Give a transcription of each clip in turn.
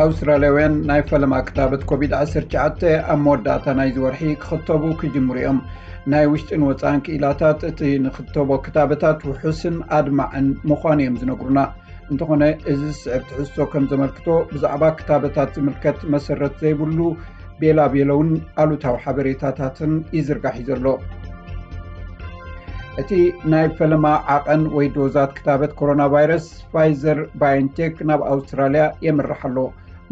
ኣውስትራልያውያን ናይ ፈለማ ክታበት ኮቪድ ዓሰርተ ትሽዓተ ኣብ መወዳእታ ናይዚ ወርሒ ክኽተቡ ክጅምሩ እዮም። ናይ ውሽጥን ወፃእን ክኢላታት እቲ ንኽተቦ ክታበታት ውሑስን ኣድማዕን ምዃኑ እዮም ዝነግሩና። እንተኾነ፣ እዚ ዝስዕብ ትሕዝቶ ከም ዘመልክቶ፣ ብዛዕባ ክታበታት ዝምልከት መሰረት ዘይብሉ ቤላ ቤለውን ኣሉታዊ ሓበሬታታትን ይዝርጋሕ እዩ ዘሎ። እቲ ናይ ፈለማ ዓቐን ወይ ዶዛት ክታበት ኮሮና ቫይረስ ፋይዘር ባዮንቴክ ናብ ኣውስትራልያ የምርሕ ኣሎ።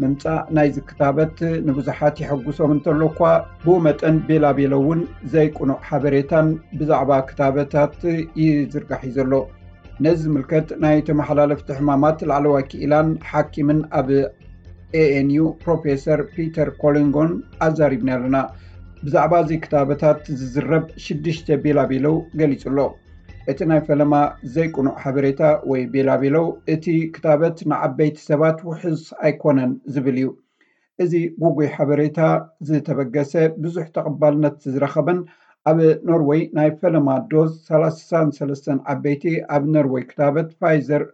ምምጻእ ናይዚ ክታበት ንብዙሓት የሐጉሶም እንተሎ እኳ፣ ብኡ መጠን ቤላ ቤለ እውን ዘይቅኑዕ ሓበሬታን ብዛዕባ ክታበታት ይዝርጋሕ እዩ ዘሎ። ነዚ ዝምልከት ናይ ተመሓላለፍቲ ሕማማት ላዕለዋይ ክኢላን ሓኪምን ኣብ ኤ ኤን ዩ ፕሮፌሰር ፒተር ኮሊንጎን ኣዛሪብና ኣለና። ብዛዕባ እዚ ክታበታት ዝዝረብ ሽዱሽተ ቤላቤለው ገሊጹ ኣሎ። እቲ ናይ ፈለማ ዘይቅኑዕ ሓበሬታ ወይ ቤላቤለው፣ እቲ ክታበት ንዓበይቲ ሰባት ውሑስ ኣይኮነን ዝብል እዩ። እዚ ጉጉይ ሓበሬታ ዝተበገሰ፣ ብዙሕ ተቐባልነት ዝረኸበን ኣብ ኖርወይ ናይ ፈለማ ዶዝ ሰላሳን ሰለስተን ዓበይቲ ኣብ ኖርወይ ክታበት ፋይዘር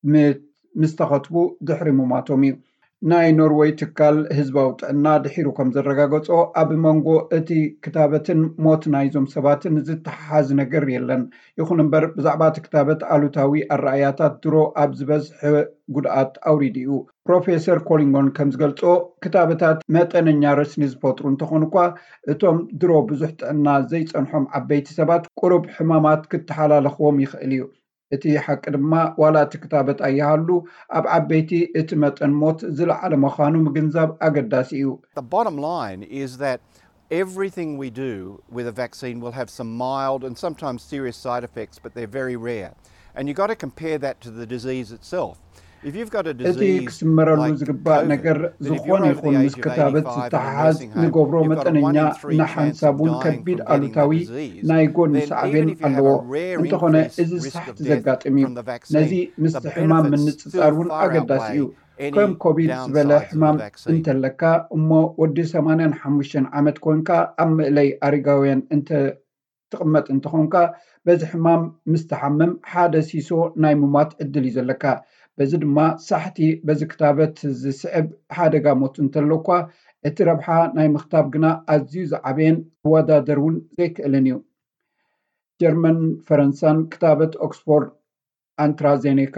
ም-፣ ምስ ተኸትቡ ድሕሪ ምሟቶም እዩ። ናይ ኖርወይ ትካል ህዝባዊ ጥዕና ድሒሩ ከም ዘረጋገጾ፣ ኣብ መንጎ እቲ ክታበትን ሞት ናይዞም ሰባትን ዝተሓሓዝ ነገር የለን። ይኹን እምበር፣ ብዛዕባ እቲ ክታበት ኣሉታዊ ኣረኣያታት ድሮ ኣብ ዝበዝሐ ጉድኣት ኣውሪዱ እዩ። ፕሮፌሰር ኮሊንጎን ከም ዝገልጾ፣ ክታበታት መጠነኛ ረስኒ ዝፈጥሩ እንተኾኑ እኳ፣ እቶም ድሮ ብዙሕ ጥዕና ዘይጸንሖም ዓበይቲ ሰባት ቁሩብ ሕማማት ክተሓላለኽዎም ይኽእል እዩ። እቲ ሓቂ ድማ፣ ዋላ እቲ ክታበት ኣይሃሉ፣ ኣብ ዓበይቲ እቲ መጠን ሞት ዝለዓለ ምዃኑ ምግንዛብ ኣገዳሲ እዩ። The bottom line is that everything we do with a vaccine will have some mild and sometimes serious side effects, but they're very rare. And you've got to compare that to the disease itself. If you've got a እቲ disease ክስመረሉ like ዝግባእ COVID, ነገር፣ that if ዝኾነ you're over the ይኹን ምስ age of ክታበት eighty-five and ዝተሓሓዝ nursing home, ንገብሮ you've got a መጠነኛ one in three chance ንሓንሳብ of እውን dying ከቢድ from getting the ኣሉታዊ disease, ናይ ጎኒ then even ሳዕቤን if you have ኣለዎ። a rare እንተኾነ፣ increased እዚ risk ሳሕቲ of death ዘጋጥም እዩ። from the ነዚ vaccine, ምስቲ the ሕማም benefits ምንጽጻር still እውን far ኣገዳሲ እዩ። outweigh any ከም ኮቪድ ዝበለ downsides of the ሕማም vaccine. እንተለካ እሞ፣ ወዲ ሰማንያን ሓሙሽተን ዓመት ኮንካ፣ ኣብ ምእለይ ኣረጋውያን እንተ ትቕመጥ እንተኾንካ፣ በዚ ሕማም ምስ ትሓምም፣ ሓደ ሲሶ ናይ ምሟት ዕድል እዩ ዘለካ። በዚ ድማ፣ ሳሕቲ በዚ ክታበት ዝስዕብ ሓደጋ ሞት እንተሎ እኳ፣ እቲ ረብሓ ናይ ምኽታብ ግና ኣዝዩ ዝዓበየን ክወዳደር እውን ዘይክእልን እዩ። ጀርመን፣ ፈረንሳን ክታበት ኦክስፎርድ ኣንትራዜኔካ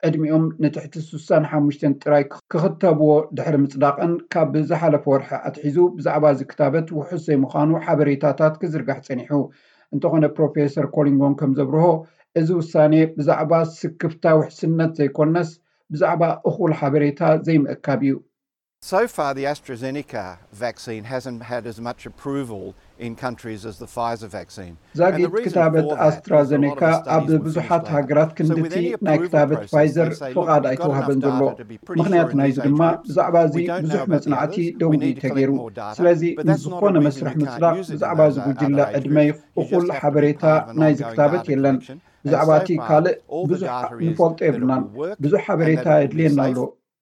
ዕድሚኦም ንትሕቲ ስሳን ሓሙሽተን ጥራይ ክኽተብዎ ድሕሪ ምጽዳቐን፣ ካብ ዝሓለፈ ወርሒ ኣትሒዙ ብዛዕባ እዚ ክታበት ውሑስ ዘይምዃኑ ሓበሬታታት ክዝርጋሕ ጸኒሑ። እንተኾነ፣ ፕሮፌሰር ኮሊንጎን ከም ዘብርሆ፣ እዚ ውሳኔ ብዛዕባ ስክፍታ ውሕስነት ዘይኮነስ፣ ብዛዕባ እኹል ሓበሬታ ዘይምእካብ እዩ። So far, the AstraZeneca vaccine hasn't had as much approval in countries as the Pfizer vaccine. ዛጊት ክታበት ኣስትራዘኔካ ኣብ ብዙሓት ሃገራት ክንድቲ ናይ ክታበት ፋይዘር ፍቓድ ኣይተዋህበን ዘሎ። ምኽንያት ናይዚ ድማ፣ ብዛዕባ እዚ ብዙሕ መጽናዕቲ ደው እዩ ተገይሩ። ስለዚ፣ ንዝኾነ መስርሕ ምጽዳቕ ብዛዕባ እዚ ጉጅለ ዕድመ እኹል ሓበሬታ ናይዚ ክታበት የለን። ብዛዕባ እቲ ካልእ ብዙሕ ንፈልጦ የብልናን። ብዙሕ ሓበሬታ የድልየና ኣሎ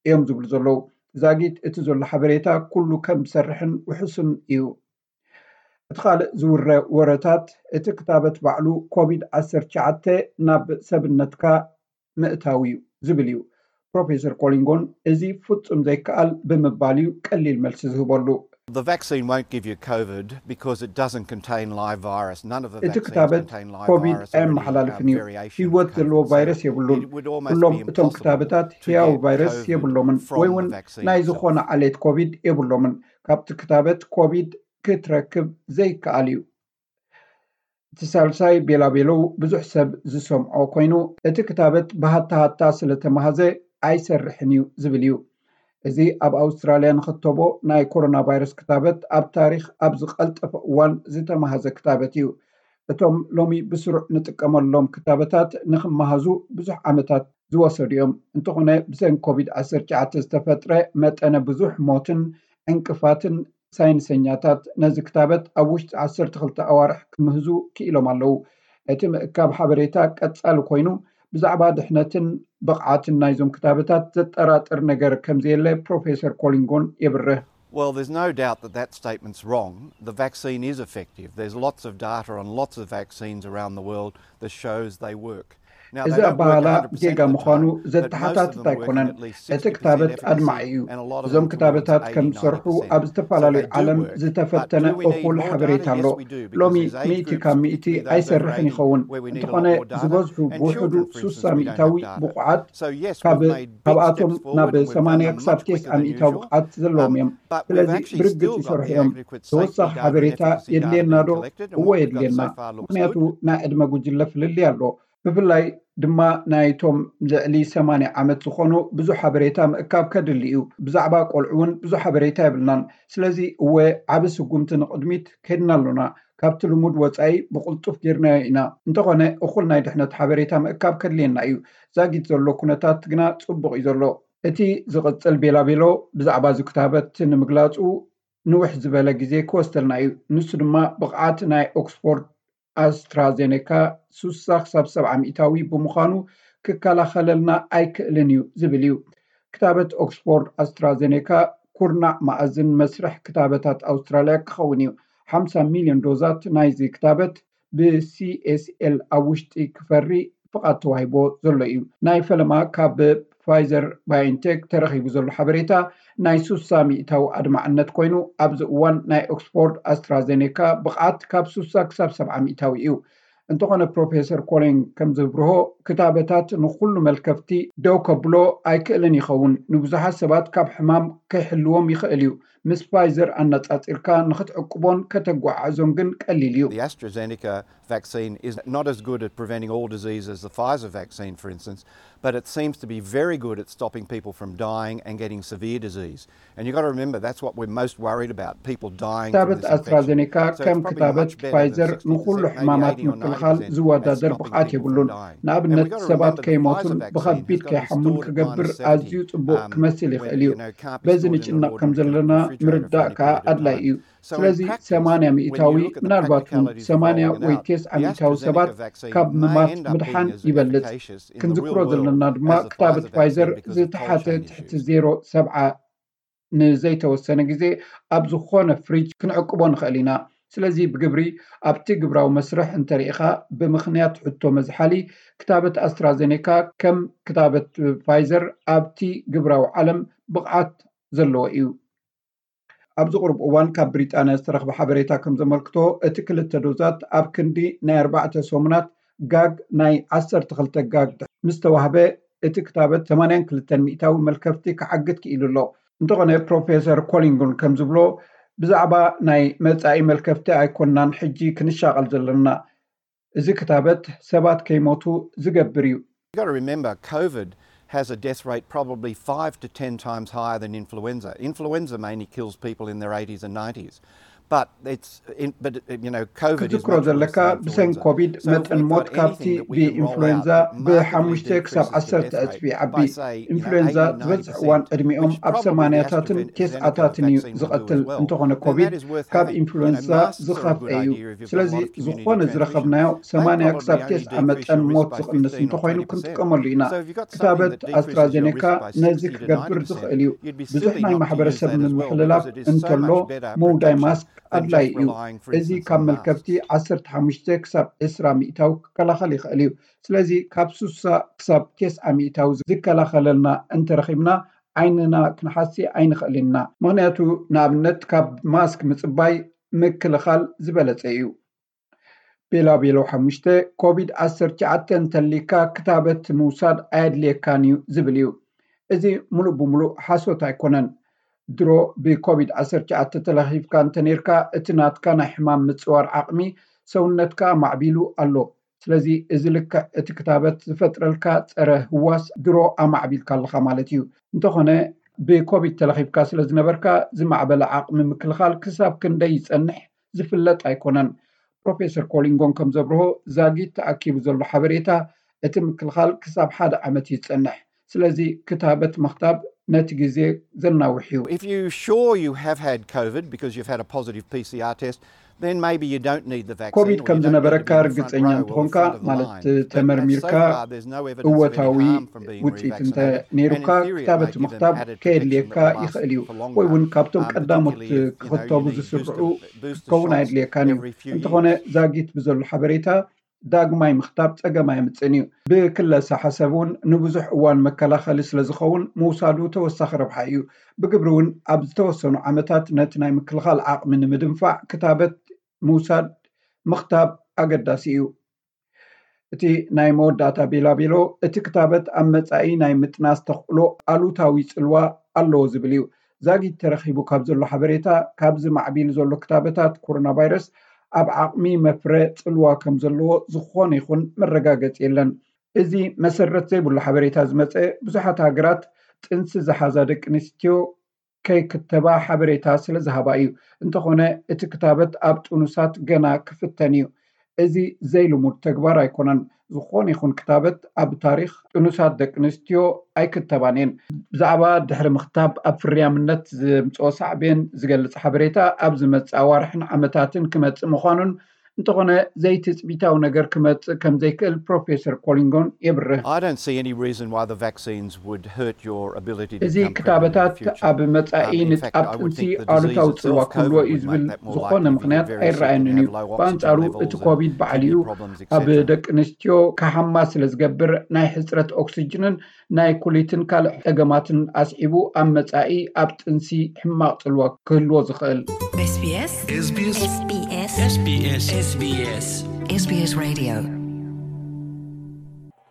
እዮም ዝብሉ ዘለዉ። ዛጊት እቲ ዘሎ ሓበሬታ ኩሉ ከም ዝሰርሕን ውሑስን እዩ። እቲ ካልእ ዝውረ ወረታት፣ እቲ ክታበት ባዕሉ ኮቪድ ዓሰርተ ትሽዓተ ናብ ሰብነትካ ምእታው እዩ ዝብል እዩ። ፕሮፌሰር ኮሊንጎን፣ እዚ ፍጹም ዘይከኣል ብምባል እዩ ቀሊል መልሲ ዝህበሉ። The vaccine won't give you COVID because it doesn't contain live virus. None of the እቲ vaccines ክታበት contain live ኮቪድ virus or any, ኣየመሓላልፍን um, እዩ። variation of ህይወት COVID. ዘለዎ So ቫይረስ የብሉን። it would almost ኩሎም be እቶም impossible ክታበታት to ህያው get ቫይረስ COVID የብሎምን፣ from ወይ the እውን vaccine ናይ itself. ዝኾነ ዓሌት ኮቪድ የብሎምን። ካብቲ ክታበት ኮቪድ ክትረክብ ዘይከኣል እዩ። እቲ ሳልሳይ ቤላቤለው ብዙሕ ሰብ ዝሰምዖ ኮይኑ፣ እቲ ክታበት ብሃታሃታ ስለተማህዘ ኣይሰርሕን እዩ ዝብል እዩ። እዚ ኣብ ኣውስትራልያ ንኽተቦ ናይ ኮሮና ቫይረስ ክታበት ኣብ ታሪኽ ኣብ ዝቐልጠፈ እዋን ዝተማህዘ ክታበት እዩ። እቶም ሎሚ ብስሩዕ ንጥቀመሎም ክታበታት ንኽመሃዙ ብዙሕ ዓመታት ዝወሰዱ እዮም። እንተኾነ፣ ብሰንኪ ኮቪድ ዓሰርተ ትሽዓተ ዝተፈጥረ መጠነ ብዙሕ ሞትን ዕንቅፋትን፣ ሳይንሰኛታት ነዚ ክታበት ኣብ ውሽጢ ዓሰርተ ክልተ ኣዋርሕ ክምህዙ ክኢሎም ኣለዉ። እቲ ምእካብ ሓበሬታ ቀጻሊ ኮይኑ፣ ብዛዕባ ድሕነትን ብቕዓትን ናይዞም ክታበታት ዘጠራጥር ነገር ከም ዘየለ ፕሮፌሰር ኮሊንጎን የብርህ። Well, there's no doubt that that statement's wrong. The vaccine is effective. There's lots of data on lots of vaccines around the world that shows they work. እዚ ኣባህላ ጌጋ ምዃኑ ዘተሓታትት ኣይኮነን። እቲ ክታበት ኣድማዒ እዩ። እዞም ክታበታት ከም ዝሰርሑ ኣብ ዝተፈላለዩ ዓለም ዝተፈተነ እኹል ሓበሬታ ኣሎ። ሎሚ ሚእቲ ካብ ሚእቲ ኣይሰርሕን ይኸውን። እንተኾነ ዝበዝሑ ብውሕዱ ሱሳ ሚእታዊ ብቑዓት ካብኣቶም ናብ ሰማንያ ክሳብ ቴስዓ ሚእታዊ ብቕዓት ዘለዎም እዮም። ስለዚ ብርግጽ ይሰርሑ እዮም። ተወሳኺ ሓበሬታ የድልየና ዶ? እዎ የድልየና። ምኽንያቱ ናይ ዕድመ ጉጅለ ፍልልይ ኣሎ። ብፍላይ ድማ ናይቶም ልዕሊ ሰማንያ ዓመት ዝኾኑ ብዙሕ ሓበሬታ ምእካብ ከድሊ እዩ። ብዛዕባ ቆልዑ እውን ብዙሕ ሓበሬታ የብልናን። ስለዚ እወ ዓቢ ስጉምቲ ንቕድሚት ከድና ኣሎና። ካብቲ ልሙድ ወጻኢ ብቕልጡፍ ጌርናዮ ኢና። እንተኾነ እኹል ናይ ድሕነት ሓበሬታ ምእካብ ከድልየና እዩ። ዛጊት ዘሎ ኩነታት ግና ጽቡቕ እዩ ዘሎ። እቲ ዝቕጽል ቤላቤሎ ብዛዕባ እዚ ክታበት ንምግላጹ ንውሕ ዝበለ ግዜ ክወስደልና እዩ። ንሱ ድማ ብቕዓት ናይ ኦክስፎርድ ኣስትራዜኔካ ሱሳ ክሳብ ሰብዓ ሚእታዊ ብምዃኑ ክከላኸለልና ኣይክእልን እዩ ዝብል እዩ። ክታበት ኦክስፎርድ ኣስትራዜኔካ ኩርናዕ መኣዝን መስርሕ ክታበታት ኣውስትራልያ ክኸውን እዩ። ሓምሳ ሚልዮን ዶዛት ናይዚ ክታበት ብሲኤስኤል ኣብ ውሽጢ ክፈሪ ፍቓድ ተዋሂቦ ዘሎ እዩ። ናይ ፈለማ ካብ ፋይዘር ባዮንቴክ ተረኺቡ ዘሎ ሓበሬታ ናይ ሱሳ ሚእታዊ ኣድማዕነት ኮይኑ ኣብዚ እዋን ናይ ኦክስፎርድ ኣስትራዜኔካ ብቕዓት ካብ ሱሳ ክሳብ ሰብዓ ሚእታዊ እዩ። እንተኾነ ፕሮፌሰር ኮሊን ከም ዝብርሆ ክታበታት ንኹሉ መልከፍቲ ደው ከብሎ ኣይክእልን ይኸውን። ንብዙሓት ሰባት ካብ ሕማም ከይሕልዎም ይኽእል እዩ። ምስ ፋይዘር ኣነጻጺርካ ንኽትዕቅቦን ከተጓዓዕዞን ግን ቀሊል እዩ። The AstraZeneca vaccine is not as good at preventing all disease as the Pfizer vaccine, for instance, but it seems to be very good at stopping people from dying and getting severe disease. And you've got to remember that's what we're most worried about, people dying from ክታበት ኣስትራዜኔካ ከም ክታበት ፋይዘር ንኹሉ ሕማማት ምክልኻል ዝወዳደር ብቕዓት የብሉን። ንኣብነት ሰባት ከይሞቱን ብኸቢድ ከይሓሙን ክገብር ኣዝዩ ጽቡቕ ክመስል ይኽእል እዩ። በዚ ንጭነቕ ከም ዘለና ምርዳእ ከኣ ኣድላይ እዩ። ስለዚ ሰማንያ ሚእታዊ ምናልባት እውን ሰማንያ ወይ ቴስዓ ሚእታዊ ሰባት ካብ ምማት ምድሓን ይበልጽ። ክንዝክሮ ዘለና ድማ ክታበት ፋይዘር ዝተሓተ ትሕቲ ዜሮ ሰብዓ ንዘይተወሰነ ግዜ ኣብ ዝኾነ ፍሪጅ ክንዕቅቦ ንኽእል ኢና። ስለዚ ብግብሪ ኣብቲ ግብራዊ መስርሕ እንተሪኢኻ ብምኽንያት ሕቶ መዝሓሊ ክታበት ኣስትራዜኔካ ከም ክታበት ፋይዘር ኣብቲ ግብራዊ ዓለም ብቕዓት ዘለዎ እዩ። ኣብዚ ቁሩብ እዋን ካብ ብሪጣንያ ዝተረኽበ ሓበሬታ ከም ዘመልክቶ እቲ ክልተ ዶዛት ኣብ ክንዲ ናይ ኣርባዕተ ሰሙናት ጋግ ናይ ዓሰርተ ክልተ ጋግ ምስ ተዋህበ እቲ ክታበት ሰማንያን ክልተን ሚእታዊ መልከፍቲ ክዓግት ክኢሉ ኣሎ። እንተኾነ ፕሮፌሰር ኮሊንጉን ከም ዝብሎ ብዛዕባ ናይ መጻኢ መልከፍቲ ኣይኮናን ሕጂ ክንሻቐል ዘለና። እዚ ክታበት ሰባት ከይሞቱ ዝገብር እዩ። You've got to remember, COVID has a death rate probably five to ten times higher than influenza. Influenza mainly kills people in their eighties and nineties. But it's in, but you know, COVID is ክትዝክሮ ዘለካ ብሰን ኮቪድ መጠን ሞት ካብቲ ብኢንፍሉዌንዛ ብሓሙሽተ ክሳብ ዓሰርተ ዕጽፊ ይዓቢ። ኢንፍሉዌንዛ ዝበዝሕ እዋን ዕድሚኦም ኣብ ሰማንያታትን ቴስዓታትን እዩ ዝቐትል። እንተኾነ ኮቪድ ካብ ኢንፍሉዌንዛ ዝኸፍአ እዩ። ስለዚ ዝኾነ ዝረኸብናዮ ሰማንያ ክሳብ ቴስዓ መጠን ሞት ዝቕንስ እንተኾይኑ ክንጥቀመሉ ኢና። ክታበት ኣስትራዜኔካ ነዚ ክገብር ዝኽእል እዩ። ብዙሕ ናይ ማሕበረሰብ ምምሕልላፍ እንተሎ ምውዳይ ማስክ ኣድላይ እዩ። እዚ ካብ መልከፍቲ ዓሰርተ ሓሙሽተ ክሳብ ዕስራ ሚእታዊ ክከላኸል ይኽእል እዩ። ስለዚ ካብ ሱሳ ክሳብ ቴስዓ ሚእታዊ ዝከላኸለልና እንተረኺብና ዓይንና ክንሓሲ ኣይንኽእልን ኢና። ምኽንያቱ ንኣብነት ካብ ማስክ ምጽባይ ምክልኻል ዝበለጸ እዩ። ቤላ ቤሎ ሓሙሽተ ኮቪድ ዓሰርተ ትሽዓተ እንተሊካ ክታበት ምውሳድ ኣየድልየካን እዩ ዝብል እዩ። እዚ ሙሉእ ብሙሉእ ሓሶት ኣይኮነን። ድሮ ብኮቪድ ዓሰርተ ትሽዓተ ተለኺፍካ እንተነርካ እቲ ናትካ ናይ ሕማም ምጽዋር ዓቕሚ ሰውነትካ ኣማዕቢሉ ኣሎ። ስለዚ እዚ ልክዕ እቲ ክታበት ዝፈጥረልካ ጸረ ህዋስ ድሮ ኣማዕቢልካ ኣለኻ ማለት እዩ። እንተኾነ ብኮቪድ ተለኺፍካ ስለ ዝነበርካ ዝማዕበለ ዓቕሚ ምክልኻል ክሳብ ክንደይ ይጸንሕ ዝፍለጥ ኣይኮነን። ፕሮፌሰር ኮሊንጎን ከም ዘብርሆ ዛጊት ተኣኪቡ ዘሎ ሓበሬታ እቲ ምክልኻል ክሳብ ሓደ ዓመት እዩ ዝጸንሕ። ስለዚ ክታበት ምኽታብ ነቲ ግዜ ዘናውሕ እዩ። If you're sure you have had COVID because you've had a positive P C R test, then maybe you don't need the vaccine. ኮቪድ ከም ዝነበረካ ርግጸኛ እንተኾንካ ማለት ተመርሚርካ እወታዊ ውፅኢት እንተ ነይሩካ ክታበት ምኽታብ ከየድልየካ ይኽእል እዩ። ወይ እውን ካብቶም ቀዳሞት ክኽተቡ ዝስርዑ ክኸውን ኣየድልየካን እዩ። እንተኾነ ዛጊት ብዘሎ ሓበሬታ ዳግማይ ምኽታብ ጸገም ኣየምጽእን እዩ። ብክለሳ ሓሰብ እውን ንብዙሕ እዋን መከላኸሊ ስለ ዝኸውን ምውሳዱ ተወሳኺ ረብሓ እዩ። ብግብሪ እውን ኣብ ዝተወሰኑ ዓመታት ነቲ ናይ ምክልኻል ዓቕሚ ንምድንፋዕ ክታበት ምውሳድ ምኽታብ ኣገዳሲ እዩ። እቲ ናይ መወዳእታ ቢላቢሎ፣ እቲ ክታበት ኣብ መጻኢ ናይ ምጥናስ ተኽእሎ ኣሉታዊ ጽልዋ ኣለዎ ዝብል እዩ። ዛጊት ተረኺቡ ካብ ዘሎ ሓበሬታ፣ ካብዚ ማዕቢሉ ዘሎ ክታበታት ኮሮና ቫይረስ ኣብ ዓቕሚ መፍረ ጽልዋ ከም ዘለዎ ዝኾነ ይኹን መረጋገጺ የለን። እዚ መሰረት ዘይብሉ ሓበሬታ ዝመጸ፣ ብዙሓት ሃገራት ጥንሲ ዝሓዛ ደቂ ኣንስትዮ ከይክተባ ሓበሬታ ስለ ዝሃባ እዩ። እንተኾነ እቲ ክታበት ኣብ ጥኑሳት ገና ክፍተን እዩ። እዚ ዘይልሙድ ተግባር ኣይኮነን። ዝኾነ ይኹን ክታበት ኣብ ታሪኽ ጥኑሳት ደቂ ኣንስትዮ ኣይክተባን እየን። ብዛዕባ ድሕሪ ምኽታብ ኣብ ፍርያምነት ዘምፅኦ ሳዕቤን ዝገልጽ ሓበሬታ ኣብ ዝመፅእ ኣዋርሕን ዓመታትን ክመፅእ ምዃኑን፣ እንተኾነ ዘይትፅቢታዊ ነገር ክመፅእ ከም ዘይክእል ፕሮፌሰር ኮሊንጎን የብርህ። I don't see any reason why the vaccines would hurt your ability to እዚ become pregnant in the ክታበታት future. ኣብ መጻኢ Um, in fact, I ንጣብ would ጥንሲ think the disease ኣሉታዊ ጽልዋ itself, ክህልዎ COVID, እዩ would ዝብል make that more ዝኾነ likely. If ምኽንያት you're very sick ኣይረኣየንን and እዩ። have low oxygen ብኣንጻሩ levels እቲ and ኮቪድ ባዕሉ kidney እዩ problems, ኣብ et cetera. ደቂ ኣንስትዮ ክሓማ ስለ ዝገብር ናይ ሕጽረት ኦክሲጅንን ናይ ኩሊትን ካልእ ጸገማትን ኣስዒቡ ኣብ መጻኢ ኣብ ጥንሲ ሕማቕ ጽልዋ ክህልዎ ዝኽእል። SBS SBS SBS SBS SBS SBS Radio